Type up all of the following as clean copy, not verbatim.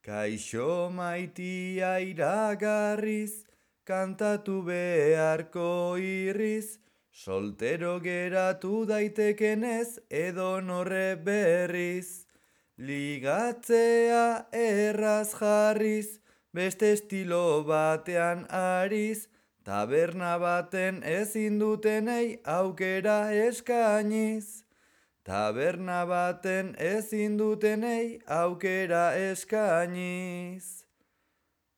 Kaixo maitia iragarriz, kantatu beharko irriz, soltero geratu daitekenez edo norre berriz. Ligatzea erraz jarriz, beste estilo batean ariz, taberna baten ezin dutenei aukera eskainiz. Taberna baten ezin dutenei aukera eskainiz.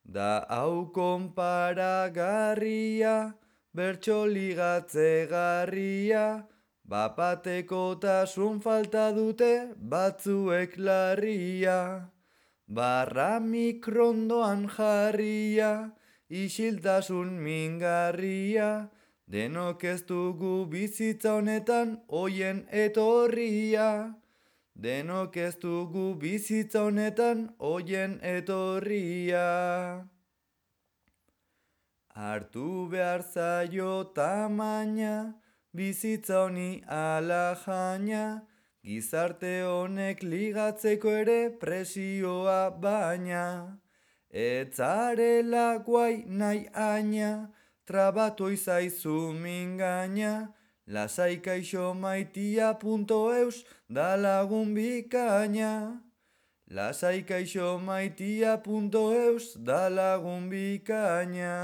Da hau konparagarria, bertso ligatzegarria, bapatekotasun falta dute batzuek larria. Barra mikrondoan jarria, isiltasun mingarria, denok ez dugu bizitza honetan oien etorria. Denok ez dugu bizitza honetan oien etorria. Hartu behar zaio tamaina, bizitza honi ala jaina, gizarte honek ligatzeko ere presioa baina. Etzarela guai nahi aina, trabatu izaizu mingaina, lasai kaixo maitia.eus da lagun bikaina. Lasai kaixo maitia.eus da lagun bikaina.